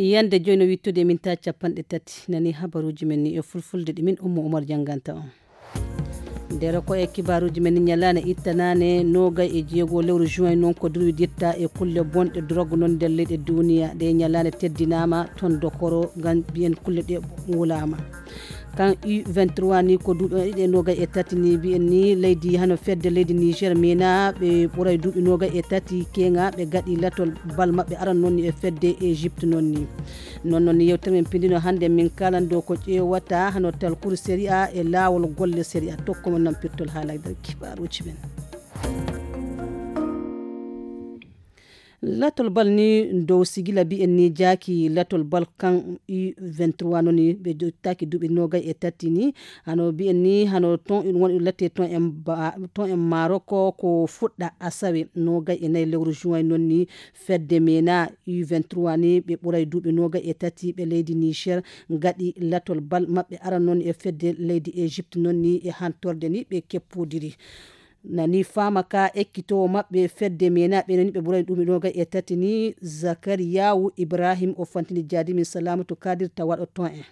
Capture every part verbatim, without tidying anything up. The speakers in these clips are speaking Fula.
Yande joyi no wittude e minta capanɗe tati. Nani habaruji men ni e fulfulde ɗi min Ummu Umar jannganta on. Ndero ko e kibaruji men ni, ñalaande ittanaane noogay e jeego lewru juin noon ko durwiditta e kulle bonɗe drogue noon nder leyɗe duniya. Ɗe ñalaande teddinaama toon Dokoro ngam mbiyen kulle ɗe wulaama. Kan U vingt-trois ni ko duuɓi ɗiɗi e noogay e tati ni mbiyen ni leydi hano fedde leydi Niger mena ɓe ɓuray duuɓi noogay e tati keŋa ɓe gaɗi latol bal maɓɓe aran noon ni e fedde Egypte noon ni. Noon noon ni yewtere men pindino hannde min kalan dow ko ƴeewata hano talkuru série A e laawol golle série A tokko mo nampirtol haala nder kibaruji men. Latol bal ni dow sigila mbiyen ni jaaki latol bal kan U vingt-trois noon ni ɓe jottaki duuɓi noogay e tati ni hano mbiyen ni hano ton in woni latte ton en ba ton en Maroc ko fuɗɗa asawe noogay e nayi lewru juin noon ni fedde mena U vingt-trois ni ɓe ɓuray duuɓi noogay e tati ɓe leydi Niger gaɗi latol bal maɓɓe aran noon e fedde leydi Egypte noon ni e hantorde ni ɓe keppodiri. Nani faama ka ekkitoowo maɓɓe fedde mena ɓe nani ɓe ɓuray duuɓi noogay e tati ni Zakariyawu Ibrahim o fantini jaadi min Salamatu Kadir tawaɗo ton en.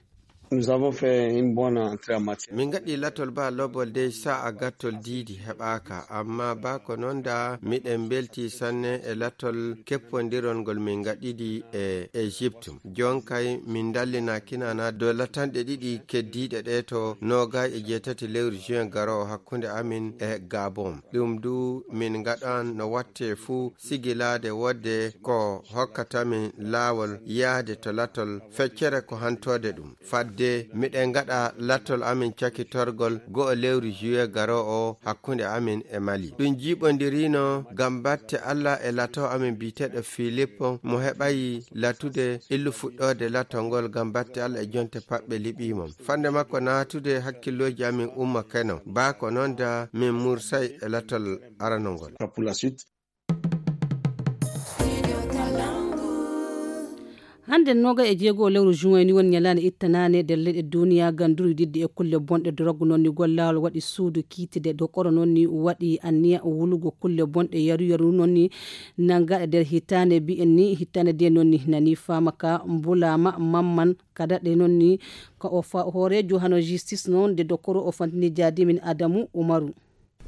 Nous avons fait une bonne entrée en matière. Min gaɗi latol ba lobol dey sa'a gattol diidi heɓaaka, amma ba ko noon da miɗen mbelti sanne e latol keppondirol ngol min gaɗidi e Egypte. Jonkay min dallina kinana dow latanɗe ɗiɗi keddiiɗe ɗe to noogay e jeetati lewru juin garoowo hakkunde amin e Gabon. Ɗum du min ngaɗan no watte fuu sigilaade wodde ko hokkata min laawol yahde to latol feccere ko hantoode ɗum. Fadde miɗen ngaɗa latol amin cakitorgol go'o lewru juillet garoowo o hakkunde amin e Mali. Ɗum jiiɓondirino ngam batte Alla e lato amin biyeteeɗo Filippo mo heɓayi latude illu fuɗɗoode latol ngol ngam batte Alla e jonte paɓɓe liɓiimo. Fande makko naatude hakkillooji amin umma keno. Baa ko noon da min mursay e latol aranol ngol. Hannde noogay e jeego lewru juin ni woni ñalaande ittanaande nder leyɗe duniya ngam durwididde e kulle bonɗe drogue noon ni gollawol waɗi suudu kiitide dokoro noon ni waɗi anniya wulugo kulle bonɗe yaru yaru noon ni nanngaɗe nder hitaande mbiyen ni hitaande de noon ni nani faama ka mbulaama mamman kada ɗe noon ni ka o fa- hooreejo hano justice noon de dokoro o fantini jaadimin Adamu Umaru.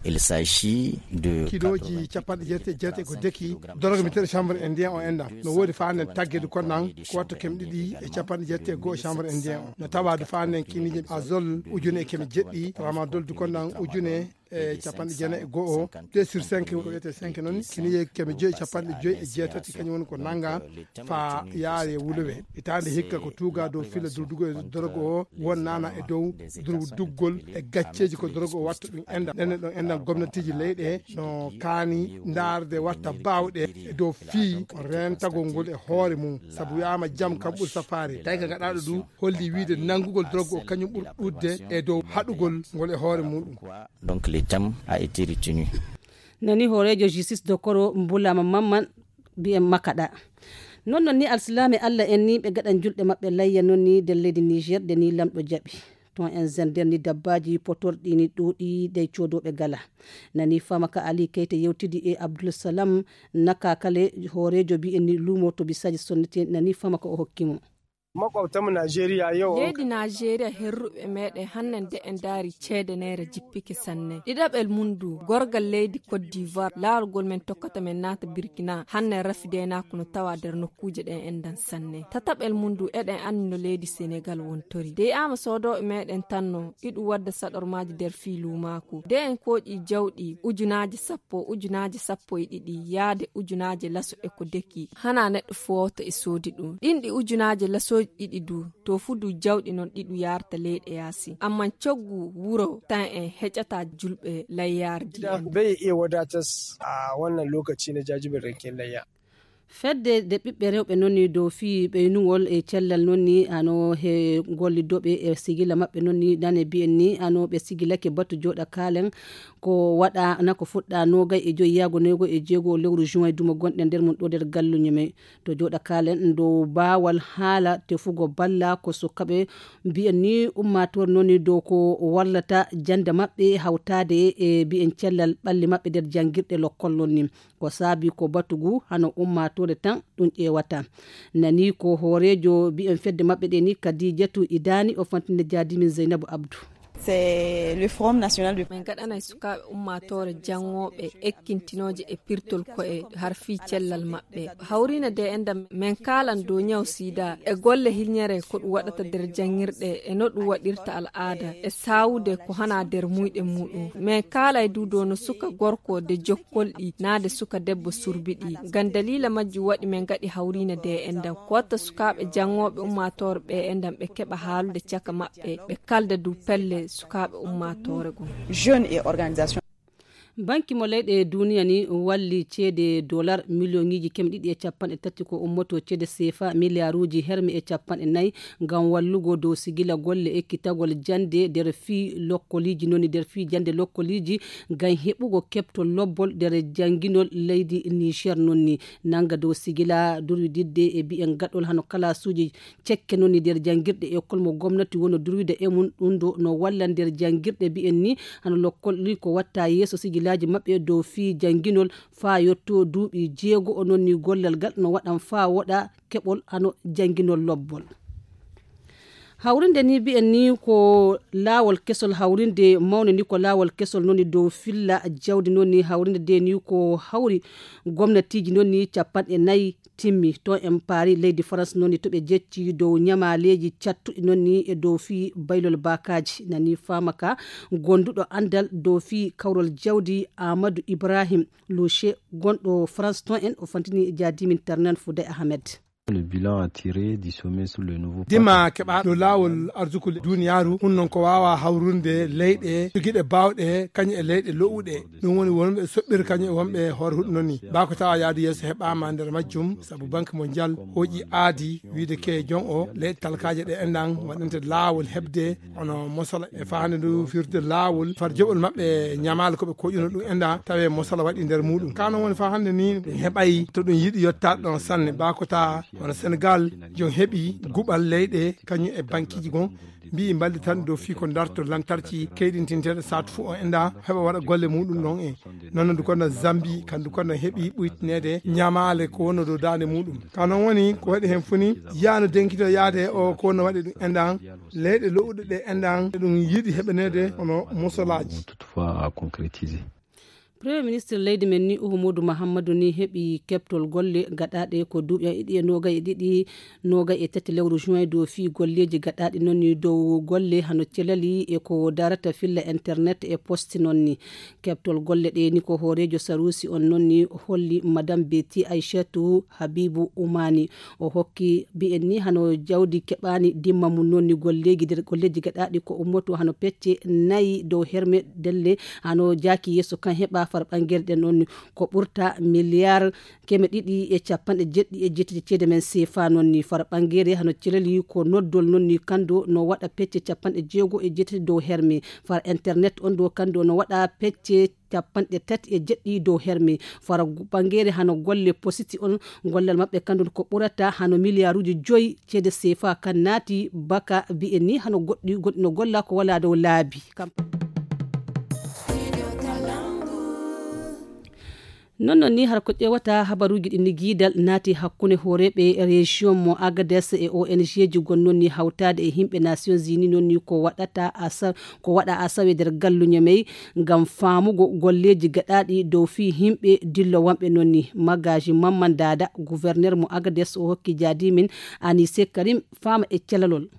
Il s'agit de kilooji capanɗe jeetati e jeetati ko deki doroge miteɗo chambre indien o enɗan no woodi faanden taggede konnan ko watta keme ɗiɗi e capanɗe jeetati e goho chambre indien o no tawaade faanden kiniije azol ujune e keme jeɗɗi tramadol du konnan ujune e capanɗe jeenayi e goho deux sur cinq ko wiyete cinq noon kiniije keme joyi capanɗe joyi e jeetati kañum woni ko nannga fa yaare wuluwe hitaande hikka ko tuuga dow fila durdugo e dorogo o won nana e dow durduggol e gacceeji ko dorogo o watta ɗum enɗan ɗen ɗon enɗan gomnatiiji leyɗe no kaani ndaarde watta baawɗe e dow fii rentagol ngol e hoore mum sabu wiyaama jam kam ɓuri safaare tawi ka gaɗaaɗo ɗum holli wiide nanngugol dorogo o kañum ɓuri ɗuɗde e dow haɗugol ngol e hoore muɗum. Donc le thème a été retenu. Nani hooreejo justice dokoro mbulama mamman mbiyen makaɗa. Noon noon ni alsilaame allah en ni ɓe gaɗan julɗe maɓɓe layya noon ni nder leydi niger nde ni lamɗo jaɓi ton en zender ni dabbaaji potorɗi ni ɗuuɗi ɗe coodooɓe gala. Nani faama ka ali keyte yewtidi e abdulsalam naka kale hooreejo mbiyen ni luumo to bisaaji sonnete nani faama ka o hokki mo. Makwabtanmu Najeriya yau. Leydi Najeriya herruɓe meɗen hannden de en ndaari ceede neere jippike sanne. Ɗiɗaɓel mum du, gorgal leydi Côte d'Ivoire, laarugol men tokkata men naata Burkina, hannden rafidenaako no tawa nder nokkuuje ɗen enɗan sanne. Tataɓel mum du, eɗen anndi no leydi Senegal wontori. De yi'aama soodooɓe meɗen tan no, iɗum wadda saɗormaaji nder fii luumaaku. De en kooƴi jawɗi ujunaaji sappo, ujunaaji sappo e ɗiɗi, yaade ujunaaji laso e ko deki. Hana neɗɗo footo e soodi ɗum. Ɗin ɗi ujunaaji lasooji ɗiɗi du, to fu du jawɗi non ɗi ɗum yaarta leyɗe yaasi. Amman coggu wuro tan en heƴata julɓe layyaare ndi en. Bai iya wadatas a wannan lokaci na jajiberin layya. Fedde nde ɓiɓɓe rewɓe noon ni dow fii ɓeynugol e cellal noon ni hano he gollidooɓe e sigila maɓɓe noon ni nane mbiyen ni hano ɓe sigilake batu jooɗa kaalen ko waɗa na ko fuɗɗa noogay e joyi yaago noogay e jeego lewru juin duma gonɗe nder mum ɗo nder galluñe men to jooɗa kaalen dow baawal haala tefugo balla ko sukaɓe mbiyen ni ummaatoore noon ni dow ko wallata jannde maɓɓe hawtaade e mbiyen cellal ɓalli maɓɓe nder janngirɗe lokkol noon ni ko saabi ko batugu hano ummaatoore Tan ɗum ƴeewata. Nani ko hooreejo mbiyen fedde maɓɓe ɗe ni, Kadijatu Idani, o fantinde jaadimin Zeynabu Abdu. C'est le Forum national de... Min gaɗanay sukaaɓe ummaatoore janngooɓe ekkintinooje e pirtol ko'e har fii cellal maɓɓe. Hawriine de enɗam, min kaalan dow ñaw sida e golle hilñere ko ɗum waɗata nder janngirɗe e no ɗum waɗirta al'aada e saawude ko hana nder muyɗe muuɗum. Min kaalay du dow no suka gorko de jokkolɗi naa de suka debbo surbiɗi. Ngam daliila majjum waɗi min ngaɗi hawriine de enɗam. Ko watta sukaaɓe janngooɓe ummaatoore ɓe enɗam ɓe keɓa haalude caka maɓɓe, ɓe kalda du pelle sukaaɓe ummaatoore goo. Jeunes et organisations. Banki mo leyɗe duniya ni walli ceede dolar miliyoŋiiji keme ɗiɗi e capanɗe tati ko ummoto ceede sefa miliyaaruuji herme e capanɗe nayi ngam wallugo dow sigila golle ekkitagol jannde nder fii lokkoliiji non ni, nder fii jannde lokkoliiji ngam heɓugo keɓtol lobbol nder jannginol leydi Niger non ni. Nanga dow sigila durwididde e bi'en gaɗol hano kalaasuuji cekke non ni nder janngirɗe ekol mo gomnati wono durwida e mum. Ɗum ɗo no walla nder janngirɗe mbi'en ni hano lokkol ni ko watta yeeso sigilaaji maɓɓe dow fii jannginol faa yotto duuɓi jeego. O non ni gollal ngal no waɗan faa woɗa keɓol hano jannginol lobbol. Hawrinde ni mbi'en ni ko laawol kesol, hawrinde mawnde ni ko laawol kesol non ni dow filla jawdi non ni. Hawrinde de ni ko hawri gomnatiiji non ni capanɗe nayi timmi. To en paari leydi Farans non ni to ɓe jecci dow ñamaaleeji cattuɗi non ni e dow fii baylol baakaaji. Nani faama ka gonduɗo anndal dow fii kawrol jawdi Amadou Ibrahim Louche gonɗo Farans ton en o fantini jaadimin Ternan Foudey Ahmed. Le bilan à tirer du sommet sur le nouveau Dima pacte. Keɓa dow laawol arsuku duniyaaru, hun non ko waawa hawrunde leyɗe jogiiɗe baawɗe kañum e leyɗe lo'uɗe. Ɗum woni wonɓe soɓɓir kañum e wonɓe hoore huɗo non ni. Baa ko tawa yaadu yeeso heɓaama nder majjum, sabu Banque Mondiale hooƴi aadi wiide ke jon o leyɗe talkaaje ɗe enɗan waɗante laawol heɓde hono mosala e faande ndu firde laawol far joɓol maɓɓe ñamaale ko ɓe koƴuno ɗum enɗa tawe mosala waɗi nder muɗum. Ka non woni fa hannde ni ɗum heɓay to ɗum yiɗi yottaade ɗon sanne. Baa ko tawa hono Senegal jon heɓi guɓal leyɗe kañum e bankiiji gon mbi'i mballitan dow fii ko darto lantarki keyɗintinteeɗo saatu fuu o enɗa heɓa waɗa golle muɗum ɗon e noon ndu kono Zambi kandu kono heɓi ɓuytineede ñamaale ko wonno dow daande muɗum. Ka non woni ko waɗi heen fuu ni yaano denkito yaade o ko wonno waɗi ɗum enɗan leyɗe lo'uɗe ɗe enɗan ɗum yiɗi heɓaneede hono musolaaji. Toutefois à concrétiser. Premier ministre leydi men ni Uhumudu Mahammadu ni heɓi keɓtol golle gaɗaaɗe ko duuɓi ɗiɗi e noogay e ɗiɗi, noogay e tati lewru juin dow fii golleeji gaɗaaɗi non ni dow golle hano celali e ko darata filla internet e poste non ni. Keɓtol golle ɗe ni ko hooreejo Sarusi on non ni holli Madame Betty Aishatu Habibu Umani. O hokki mbi'en ni hano jawdi keɓaani dimma mum non ni golleeji nder golleeji gaɗaaɗi ko ummoto hano pecce nayi dow herme delle hano jaaki yeeso kan heɓa far ɓangere ɗen non ni ko ɓurta miliyar keme ɗiɗi e capanɗe jeɗɗi e jeetati ceede men sefa non ni far ɓangere hano celali ko noddol non ni kando no waɗa pecce capanɗe jeego e jeetati dow herme far internet on ɗo kando no waɗa pecce capanɗe tati e jeɗɗi dow herme fara gu- ɓangere hano golle positi on gollal maɓɓe kandun ko ɓurata hano miliyaaruuji joyi ceede sefa kan naati baka mbi'en ni hano goɗɗi goɗɗi no golla ko wala dow laabi kam. Non non ni har ko ƴewata habaruuji ɗin ni giidal naati hakkunde hooreeɓe région mo Agadez e O N G ji gonnon ni hawtaade e himɓe Nations Unies non ni ko waɗata asa ko waɗa asawe nder galluño mey ngam faamugo golleeji gaɗaaɗi dow fii himɓe dillowanɓe non ni. Magaji Mamman Dada, gouverneur mo Agadez o hokki jaadimin Anise Karim faama e calalol.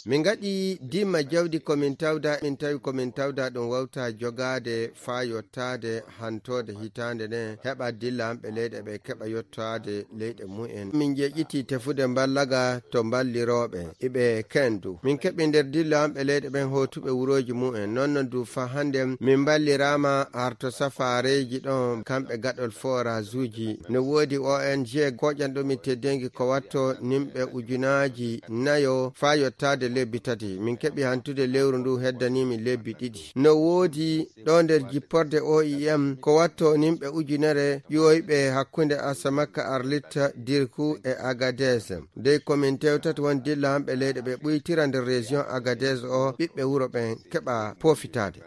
Min ngaɗi dimma jawdi ko min tawda, min tawi ko min tawda ɗum wawta jogaade faa yottaade hantoode hitaande nde heɓa dillanɓe leyɗe ɓe keɓa yottaade leyɗe mumen. Min njeƴƴiti tefude mballaga to mballirooɓe iɓe kendu. Min keɓi nder dillanɓe leyɗe ɓen hootuɓe wurooji mumen. Non non du fa hannde min mballiraama harto safaareeji ɗon kamɓe gaɗol forazuuji. No woodi O N G koƴanɗo min teddeengi ko watto nimɓe ujunaaji nayo faa yottaade lebbi tati. Min keɓi hantude lewru ndu heddanii min lebbi ɗiɗi. No woodi ɗo nder jipporde O I M ko watto nimɓe ujunere ƴiwoyɓe hakkunde Asamakka Arlit Dirku e Agadez. Dey ko min tewtata won dillanɓe leyɗe ɓe ɓuytira nder région Agadez o ɓiɓɓe wuro ɓen keɓa poofitaade.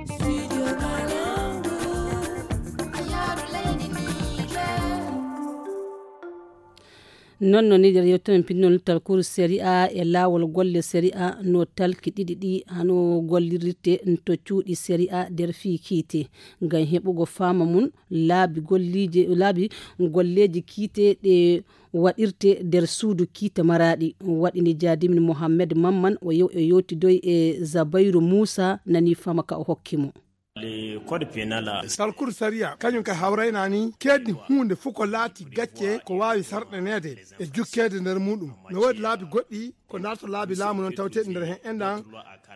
Studio Kalangu, a yaaru leydi Non no niider yewteren pinnol talkuru sariya e laawol golle sariya no talki ɗiɗi ɗi hano gollirirte to cuuɗi sariya nder fii kiite. Ngam heɓugo faama mum laabi golliije, laabi golleeji kiite ɗe waɗirte nder suudu kiite maraaɗi. Waɗini Jaadimin Mohammed Mamman o yew-, o yewtidoy e Zabayru Muusa nani faama ka o hokki mo. Le code pénal. Talkuru sariya, kañum ka hawraynaani keeddi huunde fof ko laati gacce ko waawi sarɗaneede e jukkeede nder muɗum. No woodi laabi goɗɗi ko ndarto laabi laamu noon tawteeɗi nder heen enɗan,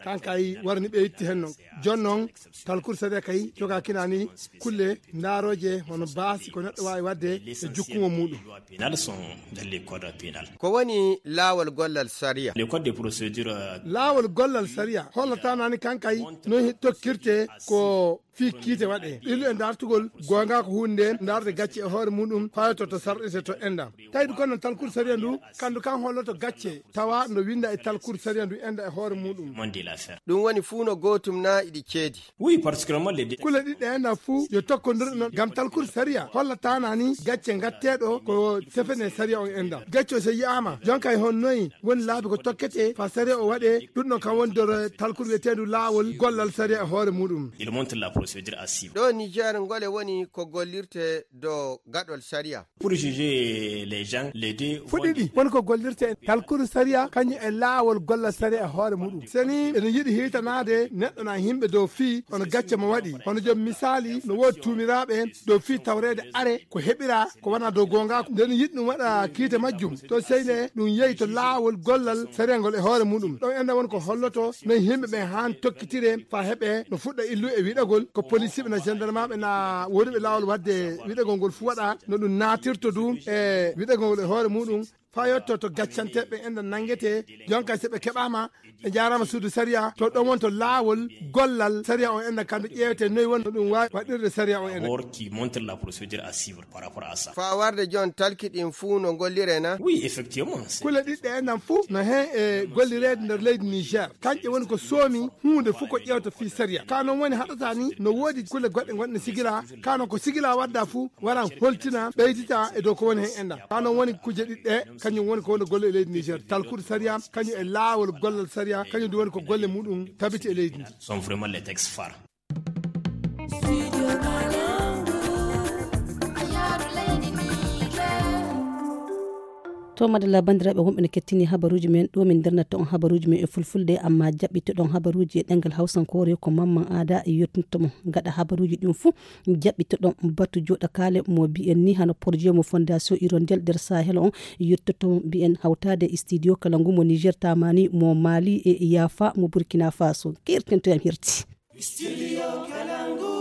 kan kay warani ɓe itti heen noon. Jooni noon, talkuru sariya kay jogaakinaani kulle ndaarooje hono baasi ko neɗɗo waawi waɗde e jukkungo muɗum. Pénal sont dans le code pénal. Ko woni laawol gollal sariya? Le code de procédure, euh, Laawol gollal sariya hollataanaani kan kay no he-, tokkirte ko fii kiite waɗee. Illu e ndartugol goonga ko huunde nde ndarde gacce e hoore muɗum fayto to sarɗete to enɗan. Tawi ɗum kono talkuru sariya ndu, kandu kan holloto gacce tawa no winda e talkuru sariya ndu enɗan e hoore muɗum. Monde l'affaire. Ɗum woni fuu no gootum na iɗi ceedi. Oui, particulièrement les deux. Kule ɗiɗi ɗe enɗan fuu yo tokkondir noon ngam talkuru sariya hollataanaani gacce ngatteeɗo ko tefene sariya on enɗan. Gacce o so yi'aama, jonka e hon noyi woni laabi ko tokkete faa sariya o waɗee, ɗum ɗon kam woni nder talkuru wiyeteendu laawol gollal sariya e hoore muɗum. Il montre la procédure à suivre. Ɗo Niger ngole woni ko gollirte do gaɗol sariya. Pour juger les gens, les deux fuu vont ɗiɗi woni ko gollirte e talkuru sariya kañum e laawol gollal sariya e hoore muɗum. Seni ene yiɗi hiitanaade neɗɗo na yimɓe dow fii hono gacce mo waɗi. Hono joom misaali no woodi tuumiraaɓe dow fii tawreede are ko heɓira ko wona dow goonga. Nden yiɗi ɗum waɗa kiite majjum. To seyne ɗum yehi to laawol gollal sariya ngol e hoore muɗum. Ɗon enɗan woni ko holloto no yimɓe ɓen haan tokkitire faa heɓe no fuɗɗa illu e wiɗagol ko police ɓe na gendarme ɓe na woodi ɓe laawol waɗde wiɗagol ngol fuu waɗa no ɗum naatirto du e wiɗagol ngol e hoore muɗum. Faa yotto to gaccanteeɓe enɗan nanngetee, jonka so ɓe keɓaama, ɓe njaaraama suudu sariya, to ɗon woni to laawol gollal sariya on enɗan kamɓe ƴeewete noy woni no ɗum waawi waɗirde sariya on enɗan. D'abord qui montre la procédure à suivre par rapport à ça. Faa warde jooni talki ɗin fuu no ngolliree na? Oui, effectivement, c'est Kule ɗiɗi ɗe enɗan fuu no heen e gollireede nder leydi Niger. Kañƴe woni ko soomi huunde fuu ko ƴeewta fii sariya. Ka noon woni haɗata ni no woodi kule goɗɗe gonɗe sigila, ka noon ko sigila wadda fuu waran holtina, ɓeydita e dow ko woni heen enɗan. Ka noon woni kuje ɗiɗi ɗe, kañum woni ko woni golle e leydi Niger. Talkude sariya, kañum e laawol gollal sariya, kañum du woni ko golle muɗum tabiti e leydi ndi. Sont vraiment les textes phares. To madalla, banndiraaɓe wonɓe no kettini habaruuji men, ɗo min ndernata on habaruuji men e fulfulde, amma jaɓɓitoɗon habaruuji e ɗemngal hawsankoore ko Mamman Aada yottinto mo. Gaɗa habaruuji ɗin fuu, jaɓɓitoɗon batu jooɗakaale mo mbiyen ni hano projet mo Fondation Hirondelle nder Sahel on, yottoto mo mbiyen hawtaade e studio kala ngu mo Niger tamani, mo Mali e Yafa mo Burkina Faso. Kertento yam hirti. Studio Kalangu.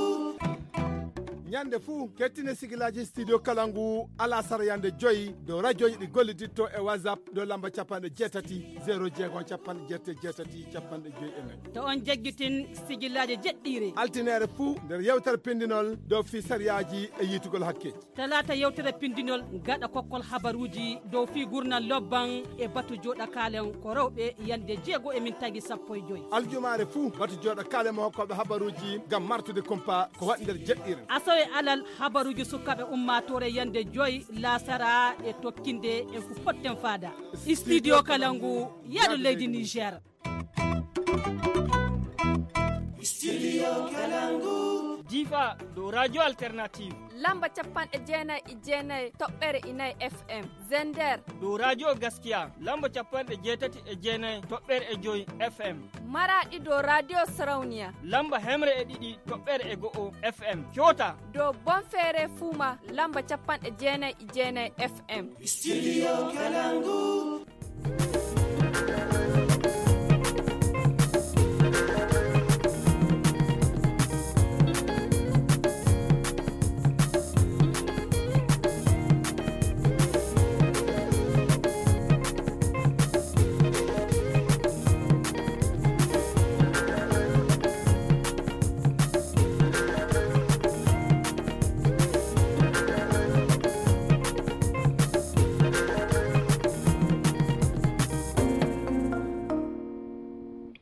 Ñande fuu, kettine sigilaaji Studio Kalangu alasara yande joyi dow radioji ɗi golliditto e WhatsApp dow lamba capanɗe jeetati, zéro jeegom, capanɗe jeetati, jeetati, capanɗe joyi e nayi. To on jaggitin sigilaaji jeɗɗiire. Altineere fuu nder yewtere pindinol dow fii sariyaaji e yiitugol hakke. Talaata yewtere pindinol gaɗa kokkol habaruuji dow fii gurnal lobban e batu jooɗakaalen ko rewɓe yande jeego e min tagi sappo e joyi. Aljumaare fuu batu jooɗakaale mo hokkooɓe habaruuji ngam martude kumpa ko waɗi nder jeɗɗiire. Asawe alal habaruuji sukaaɓe ummaatoore yande joyi laasara e tokkinde en ko potten faada. Studio Kalangu, yaadu leydi Niger. Studio Kalangu. Difa dow Radio Alternative. Lamba capanɗe jeenayi e jeenayi toɓɓere e nayi F M. Zender. Dow Radio Gaskiya. Lamba capanɗe jeetati e jeenayi toɓɓere e joyi F M. Maraɗi dow Radio Sarauniya. Lamba hemre e ɗiɗi toɓɓere e go'o F M. Kyota. Dow Bonfere Fuma. Lamba capanɗe jeenayi e jeenayi F M. Studio Kalangu.